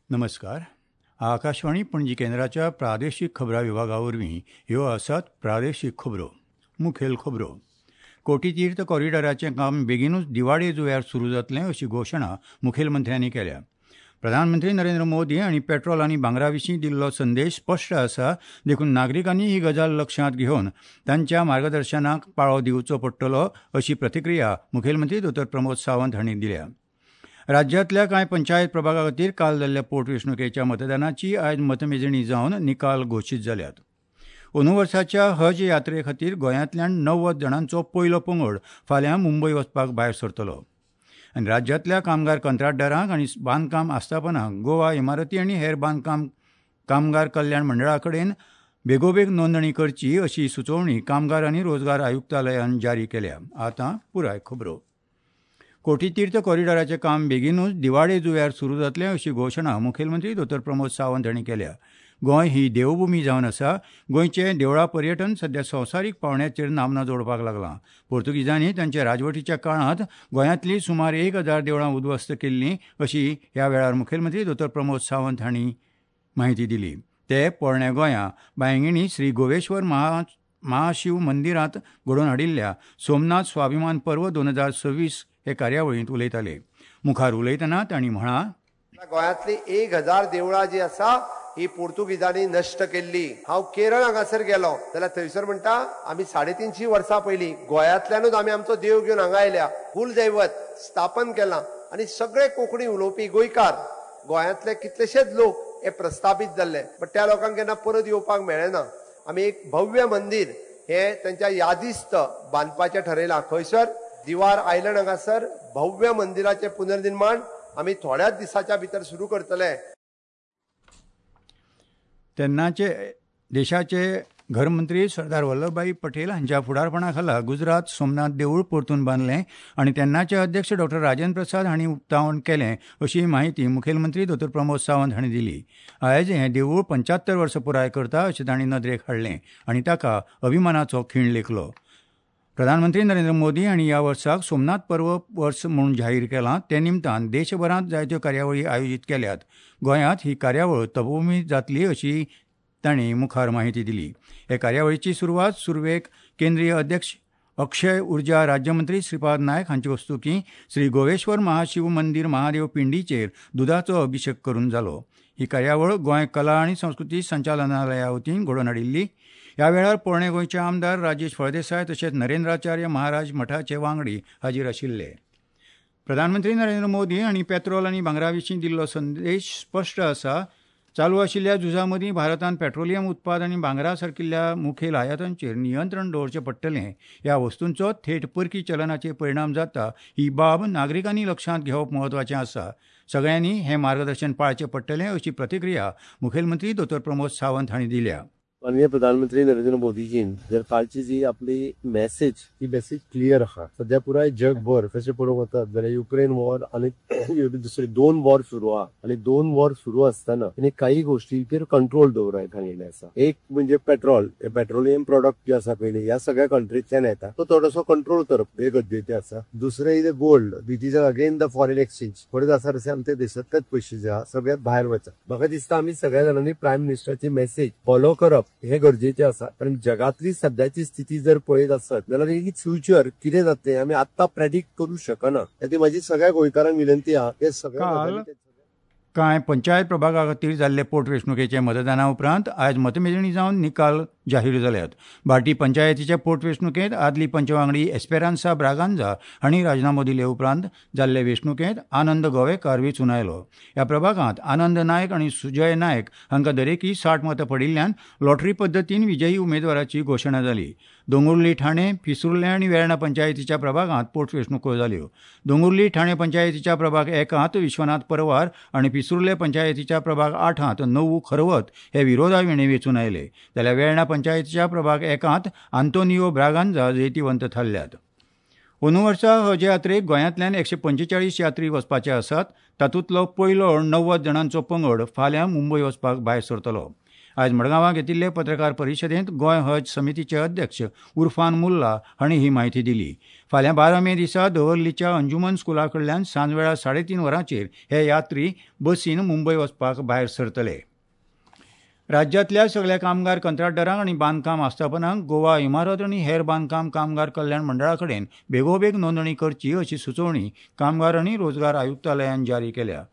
नमस्कार. आकाशवाणी पणजी केंद्राच्या प्रादेशीक खबरां विभागा वरवीं ह्यो आसात प्रादेशीक खबरो. मुखेल खबरो. कोटीतीर्थ कॉरिडॉराचें काम बेगीनूच दिवाळे जुंव्यार सुरू जातलें अशी घोशणा मुखेलमंत्र्यांनी केल्या. प्रधानमंत्री नरेंद्र मोदी हांणी पेट्रोल आनी भांगरा विशीं दिल्लो संदेश स्पश्ट आसा, देखून नागरिकांनी ही गजाल लक्षांत घेवन तांच्या मार्गदर्शनाक पाळो दिवचो पडटलो अशी प्रतिक्रिया मुखेलमंत्री दोतोर प्रमोद सावंत हांणी दिल्या. राज्यांतल्या कांय पंचायत प्रभागा खातीर काल जाल्ल्या पोटवेंचणुकेच्या मतदानाची आयज मतमेजणी जावन निकाल घोशीत जाल्यात. अंदू वर्साच्या हज यात्रे खातीर गोंयांतल्यान 90 जाणांचो पयलो पंगड फाल्यां मुंबय वचपाक भायर सरतलो. आनी राज्यांतल्या कामगार कंत्राटदारांक आनी बांदकाम आस्थापनांक गोवा इमारती आनी हेर बांदकाम कामगार कल्याण मंडळा कडेन बेगोबेग नोंदणी करची अशी सुचोवणी कामगार आनी रोजगार आयुक्तालयान जारी केल्या. आतां पुराय खबरो. कोटीतीर्थ कॉरिडॉराचें काम बेगीनूच दिवाळे जुंव्यार सुरू जातलें अशी घोशणा मुखेलमंत्री दोतोर प्रमोद सावंत हांणी केल्या. गोंय ही देवभूमी जावन आसा. गोंयचें देवळां पर्यटन सध्या संवसारीक पांवड्याचेर नामना जोडपाक लागलां. पोर्तुगीजांनी तांच्या राजवटीच्या काळांत गोंयांतलीं सुमार 1000 देवळां उद्ध्वस्त केल्लीं अशी ह्या वेळार मुखेलमंत्री दोतोर प्रमोद सावंत हांणी म्हायती दिली. ते पोरण्या गोंया बांयगिणी श्री गोवेश्वर महाशिव मंदिरांत घडोवन हाडिल्ल्या सोमनाथ स्वाभिमान पर्व 2026 हे कार्यावळींत उलयताले. मुखार उलयतना तांणी म्हळां, गोंयांतली 1000 देवळां जी आसा ही पोर्तुगीजांनी नश्ट केल्ली. हांव केरळ हांगासर गेलो जाल्यार थंयसर म्हणटा आमी 350 वर्सां पयलीं गोंयांतल्यानूच आमी आमचो देव घेवन हांगा आयल्या, कुलदैवत स्थापन केलां आनी सगळे कोंकणी उलोवपी गोंयकार गोंयांतले कितलेशेच लोक हे प्रस्थापीत जाल्ले, बट त्या लोकांक केन्ना परत येवपाक मेळ्ळें ना. आमी एक भव्य मंदीर हे तांच्या यादिस्त बांदपाचें ठरयलां. खंयसर दिवार आयलंड हांगासर भव्य मंदिराचें पुनर्निर्माण आमी थोड्याच दिसाच्या भितर सुरू करतले. तेन्नाचे देशाचे घरमंत्री सरदार वल्लभभाई पटेल हांच्या फुडारपणा खाला गुजरात सोमनाथ देवूळ परतून बांदलें आनी तेन्नाचे अध्यक्ष डॉक्टर राजेंद्र प्रसाद हांणी उक्तावण केलें अशी म्हायती मुखेलमंत्री दोतोर प्रमोद सावंत हांणी दिली. आयज हें देवूळ 75 वर्सां पुराय करता अशें तांणी नदरेक हाडलें आनी ताका अभिमानाचो खीण लेखलो. प्रधानमंत्री नरेंद्र मोदी हांणी ह्या वर्साक सोमनाथ पर्व वर्स म्हूण जाहीर केलां. ते निमतान देशभरांत जायत्यो कार्यावळी आयोजीत केल्यात. गोंयांत ही कार्यावळ तपभूमी जातली अशी तांणी मुखार म्हायती दिली. हे कार्यावळीची सुरवात सुरवेक केंद्रीय अध्यक्ष अक्षय उर्जा राज्यमंत्री श्रीपाद नायक हांचे हस्तुकीं श्री गोवेश्वर महाशिव मंदीर महादेव पिंडीचेर दुदाचो अभिशेक करून जालो. ही कार्यावळ गोंय कला आनी संस्कृती संचालनालया वतीन घडोवन हाडिल्ली. ह्या वेळार पोरणे गोंयचे आमदार राजेश फळदेसाय तशेंच नरेंद्राचार्य महाराज मठाचे वांगडी हाजीर आशिल्ले. प्रधानमंत्री नरेंद्र मोदी हांणी पेट्रोल आनी भांगरा विशीं दिल्लो संदेश स्पश्ट आसा. चालू आशिल्ल्या झुजा मदीं भारतान पेट्रोलियम उत्पाद आनी भांगरा सारकिल्ल्या मुखेल आयातांचेर नियंत्रण दवरचें पडटलें. ह्या वस्तूंचो थेट परकी चलनाचेर परिणाम जाता ही बाब नागरिकांनी लक्षांत घेवप म्हत्वाचें आसा. सगळ्यांनी हें मार्गदर्शन पाळचें पडटलें अशी प्रतिक्रिया मुखेलमंत्री दोतोर प्रमोद सावंत हांणी दिल्या. माननीय प्रधानमंत्री नरेंद्र मोदीजीन जर कालची जी आपली मॅसेज ती मॅसेज क्लियर आसा. सध्या पुराय जगभर कशें पळोवंक वतात जाल्यार युक्रेन वॉर आनी दुसरे 2 वॉर सुरू आहा आनी 2 वॉर सुरू आसतना तिणे काही गोष्टीचेर कंट्रोल दवरप सांगिल्लें आसा. एक म्हणजे पेट्रोल, हे पेट्रोलियम प्रोडक्ट जे आसा पयलीं ह्या सगळ्या कंट्रींतल्यान येता तो थोडोसो कंट्रोल करप हे गरजेचें आसा. दुसरें is gold which is again the foreign exchange. परत आसा तशें आमच्या देशांतलेच पयशे जे आहा सगळ्यात भायर वता. म्हाका दिसता आमी सगळ्या जाणांनी प्रायम मिनिस्टराची मॅसेज फॉलो करप हे गरजेचे आसा. कारण जगातली सध्याची स्थिती जर पळयत आसत जाल्यार ही फ्युचर कितें जातलें आमी आत्तां प्रेडिक्ट करूं शकना. ती म्हाजी सगळ्या गोंयकारांक विनंती आहा हे सगळे. कांय पंचायत प्रभागा खातीर जाल्ले पोटवेंचणुकेचे मतदाना उपरांत आयज मतमेजणी जावन निकाल जाहीर जाल्यात. भाटी पंचायतीच्या पोटवेंचणुकेंत आदली पंचवांगडी एस्पेरान्सा ब्रागांजा हांणी राजिनामो दिले उपरांत जाल्ले वेंचणुकेंत आनंद गोवेकार वेंचून आयलो. ह्या प्रभागांत आनंद नायक आनी सुजय नायक हांकां दरेकी 60 मतां पडिल्ल्यान लॉटरी पद्दतीन विजयी उमेदवाराची घोशणा जाली. दोंगुर्ली, ठाणे, पिसुर्ले आनी वेर्णा पंचायतीच्या प्रभागांत पोटवेंचणुको जाल्यो. दोंगुर्ली ठाणे पंचायतीच्या प्रभाग 1 विश्वनाथ परवार आनी पिसुर्ले पंचायतीच्या प्रभाग 8 नवू खरवत हे विरोधाविणे वेंचून आयले. जाल्यार वेर्णा पंचायतीच्या प्रभाग 1 आंतोनियो ब्रागांजा जैतिवंत थारल्यात. अंदू वर्सा हज यात्रेक गोंयांतल्यान 145 यात्री वचपाचे आसात. तातूंतलो पयलो 90 जाणांचो पंगड फाल्यां मुंबय वचपाक भायर सरतलो. आयज मडगांवां घेतिल्ले पत्रकार परिशदेंत गोंय हज समितीचे अध्यक्ष उर्फान मुल्ला हांणी ही म्हायती दिली. फाल्यां 12 मे दिसा दवर्लीच्या अंजुमन स्कुला कडल्यान सांजवेळा 3:30 वरांचेर हे यात्री बसीन मुंबय वचपाक भायर सरतले. राज्यांतल्या सगल्या कामगार कंत्राटदारांक आनी बांदकाम आस्थापनांक गोवा इमारत आनी हेर बांदकाम कामगार कल्याण मंडळा कडेन बेगोबेग नोंदणी करची अशी सुचोवणी कामगार आनी रोजगार आयुक्तालयान जारी केल्या.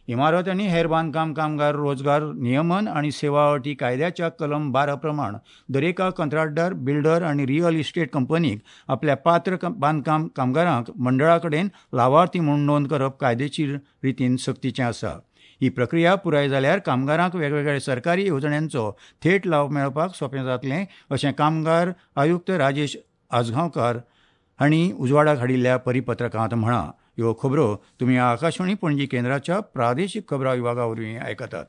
इमारत आनी हेर बांदकाम कामगार रोजगार नियमन आनी सेवा अटी कायद्याच्या कलम 12 प्रमाण दरेका कंत्राटदार, बिल्डर आनी रियल इस्टेट कंपनीक आपल्या पात्र बांदकाम कामगारांक मंडळा कडेन लावार्थी म्हूण नोंद करप कायदेशीर रितीन सक्तीचें आसा. ही प्रक्रिया पुराय जाल्यार कामगारांक वेगवेगळ्या सरकारी येवजण्यांचो थेट लाव मेळपाक सोंपें जातलें अशें कामगार आयुक्त राजेश आजगांवकार हांणी उजवाडाक हाडिल्ल्या परिपत्रकांत म्हळां. ह्यो खबरो तुमी आकाशवाणी पणजी केंद्राच्या प्रादेशीक खबरां विभागा वरवीं आयकतात.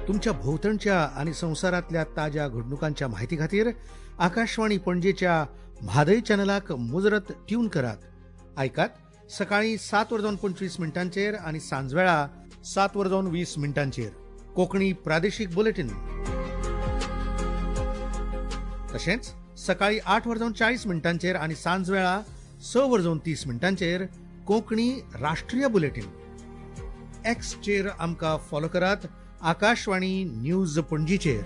तुमच्या भोंवतणच्या आनी संवसारांतल्या ताज्या घडणुकांच्या म्हायती खातीर आकाशवाणी पणजेच्या म्हादय चॅनलाक मुजरत ट्यून करात. आयकात सकाळी 7:25 आनी सांजवेळा 7:20 कोंकणी प्रादेशीक बुलेटीन. तशेंच सकाळी 8:40 आनी सांजवेळा 6:30 कोंकणी राष्ट्रीय बुलेटीन. एक्सचेर आमकां फॉलो करात आकाशवाणी न्यूज पणजीचेर.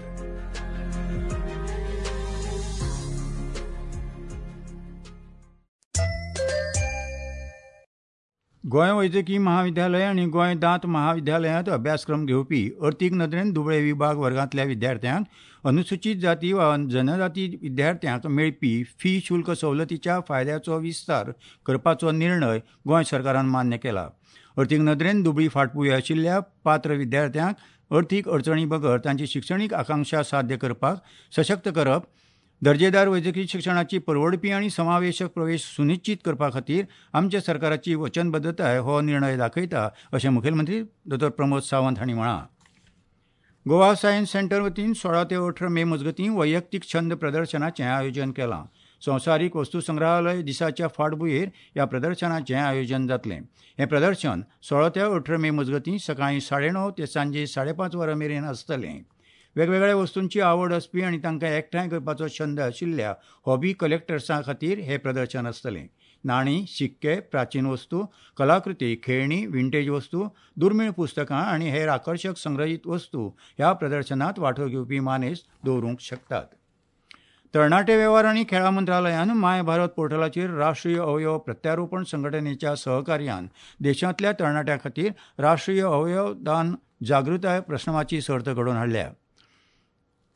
गोंय वैजकी महाविद्यालय आनी गोंय दांत महाविद्यालयांत अभ्यासक्रम घेवपी अर्थीक नदरेन दुबळे विभाग वर्गांतल्या विद्यार्थ्यांक अनुसूचीत जाती वा जनजाती विद्यार्थ्यांक मेळपी फी शुल्क सवलतीच्या फायद्याचो विस्तार करपाचो निर्णय गोंय सरकारान मान्य केला. अर्थीक नदरेन दुबळी फाटभूंय आशिल्ल्या पात्र विद्यार्थ्यांक अर्थीक अडचणी बगर तांची शिक्षणीक आकांक्षा साध्य करपाक सशक्त करप, दर्जेदार वैजकी शिक्षणाची परवडपी आनी समावेशक प्रवेश सुनिश्चित करपा खातीर आमच्या सरकाराची वचनबद्धताय हो निर्णय दाखयता अशें मुखेलमंत्री डॉ प्रमोद सावंत हांणी म्हळां. गोवा सायन्स सेंटर वतीन 16 ते 18 मे मजगतीं वैयक्तीक छंद प्रदर्शनाचें आयोजन केलां. संवसारीक वस्तू संग्रहालय दिसाच्या फाटभुंयेर ह्या प्रदर्शनाचें आयोजन जातलें. हें प्रदर्शन 16 ते 18 मे मजगतीं सकाळीं 9:30 ते सांजे 5:30 वरां मेरेन आसतलें. वेगवेगळ्या वस्तूंची आवड आसपी आनी तांकां एकठांय करपाचो छंद आशिल्ल्या हॉबी कलेक्टर्सां खातीर हें प्रदर्शन आसतलें. नाणी, शिक्के, प्राचीन वस्तू, कलाकृती, खेळणी, विंटेज वस्तू, दुर्मीळ पुस्तकां आनी हेर आकर्शक संग्रहीत वस्तू ह्या प्रदर्शनांत वांटो घेवपी मानेस्त दवरूंक शकतात. तरणाटे वेव्हार आनी खेळां मंत्रालयान my Bharat पोर्टलाचेर राष्ट्रीय अवयव प्रत्यारोपण संघटनेच्या सहकार्यान देशांतल्या तरणाट्यां खातीर राष्ट्रीय अवयव दान जागृताय प्रश्नमाची सर्त घडोवन हाडल्या.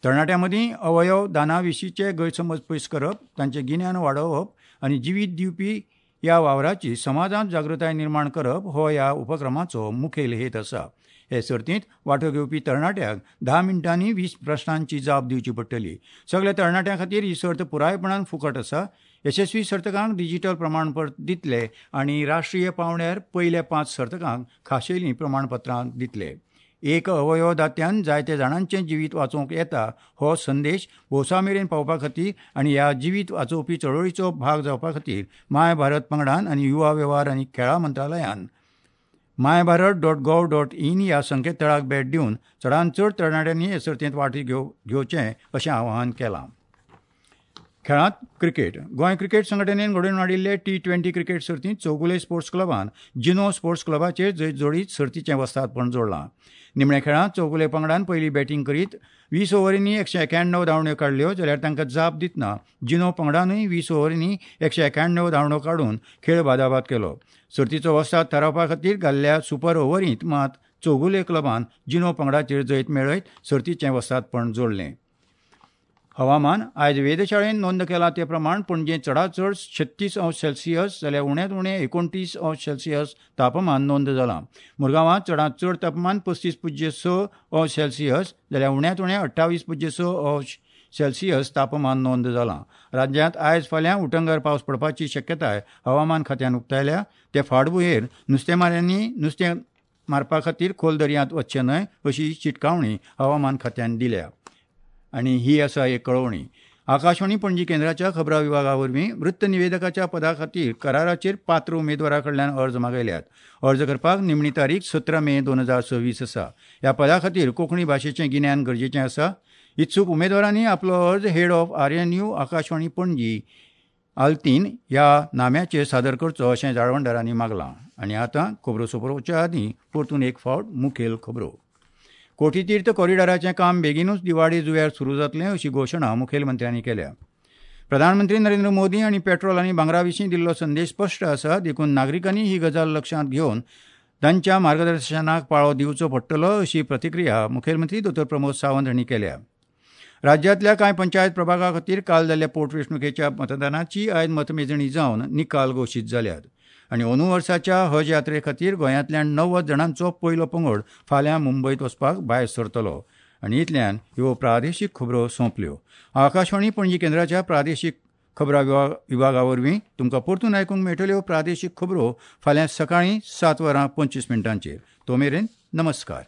तरणाट्यां मदीं अवयव दाना विशींचे गैरसमज पयस करप, तांचें गिन्यान वाडोवप आनी जिवीत दिवपी ह्या वावराची समाजांत जागृताय निर्माण करप हो ह्या उपक्रमाचो मुखेल हेत आसा. हे सर्तींत वांटो घेवपी तरणाट्यांक 10 मिनटांनी 20 प्रश्नांची जाप दिवची पडटली. सगल्या तरणाट्यां खातीर ही सर्त पुरायपणान फुकट आसा. यशस्वी सर्तकांक डिजिटल प्रमाणपत्र दितले आनी राष्ट्रीय पांवड्यार पयल्या 5 सर्तकांक खाशेलीं प्रमाणपत्रां दितले. एक अवयव दात्यान जायते जाणांचें जिवीत वाचोवंक येता हो संदेश भौसा मेरेन पावपा खातीर आनी ह्या जिवीत वाचोवपी चळवळीचो भाग जावपा खातीर my Bharat पंगडान आनी युवा वेव्हार आनी खेळां मंत्रालयान mybharat.gov.in ह्या संकेतथळाक भेट दिवन चडांत चड तरणाट्यांनी हे सर्तींत वांटो घेवचें अशें आवाहन केलां. खेळांत क्रिकेट. गोंय क्रिकेट संघटनेन घडोवन हाडिल्ले T20 cricket सर्तींत चौगुले स्पोर्ट्स क्लबान जिनो स्पोर्ट्स क्लबाचेर जैत जोडीत सर्तीचें वस्तादपण जोडलां. निमण्या खेळांत चौगुले पंगडान पयली बॅटींग करीत 20 ओव्हरींनी 191 धांवड्यो काडल्यो, जाल्यार तांकां जाप दितना जिनो पंगडानूय 20 ओव्हरींनी 191 धांवड्यो काडून खेळ बादाबाद केलो. सर्तीचो वस्ताद थारावपा खातीर घाल्ल्या सुपर ओव्हरींत मात चौगुले क्लबान जिनो पंगडाचेर जैत मेळयत सर्तीचें वस्तादपण जोडलें. हवामान. आयज वेधशाळेन नोंद केला ते प्रमाण पणजे चडांत चड 36 अंश सेल्सियस जाल्यार उण्यांत उणें 29 अंश सेल्सियस तापमान नोंद जालां. मुरगांवांत चडांत चड तापमान 35.6 अंश सेल्सियस जाल्यार उण्यांत उणें 28.6 अंश सेल्सियस तापमान नोंद जालां. राज्यांत आयज फाल्यां उटंगार पावस पडपाची शक्यताय हवामान खात्यान उक्तायल्या. ते फाटभुंयेर नुस्तेमाऱ्यांनी नुस्तें मारपा खातीर खोल दर्यांत वचचें न्हय अशी शिटकावणी हवामान खात्यान दिल्या. आनी ही आसा एक कळोवणी. आकाशवाणी पणजी केंद्राच्या खबरां विभागा वरवीं वृत्तनिवेदकाच्या पदा खातीर कराराचेर पात्र उमेदवारा कडल्यान अर्ज मागयल्यात. अर्ज करपाक निमणी तारीख 17 मे 2026 आसा. ह्या पदा खातीर कोंकणी भाशेचें गिन्यान गरजेचें आसा. इत्सूक उमेदवारांनी आपलो अर्ज head of RNU Akashvani Panaji Altinho ह्या नाम्याचेर सादर करचो अशें जाळवणदारांनी मागलां. आनी आतां खबरो सोंपोवच्या आदीं परतून एक फावट मुखेल खबरो. कोटीतीर्थ कॉरिडॉराचें काम बेगिनूच दिवाडे जुंव्यार सुरू जातलें अशी घोशणा मुखेलमंत्र्यांनी केल्या. प्रधानमंत्री नरेंद्र मोदी हांणी पेट्रोल आनी भांगरा विशीं दिल्लो संदेश स्पश्ट आसा, देखून नागरिकांनी ही गजाल लक्षांत घेवन तांच्या मार्गदर्शनाक पाळो दिवचो पडटलो अशी प्रतिक्रिया मुखेलमंत्री दोतोर प्रमोद सावंत हांणी केल्या. राज्यांतल्या कांय पंचायत प्रभागा खातीर काल जाल्ल्या पोटवेंचणुकेच्या मतदानाची आयज मतमेजणी जावन निकाल घोशीत जाल्यात. आनी अंदू वर्साच्या हज यात्रे खातीर गोंयांतल्यान 90 जाणांचो पयलो पंगड फाल्यां मुंबयत वचपाक भायर सरतलो. आनी इतल्यान ह्यो प्रादेशीक खबरो सोंपल्यो. आकाशवाणी पणजी केंद्राच्या प्रादेशीक खबरां विभागा वरवीं तुमकां परतून आयकूंक मेळटल्यो प्रादेशीक खबरो फाल्यां सकाळीं 7:25. तो मेरेन नमस्कार.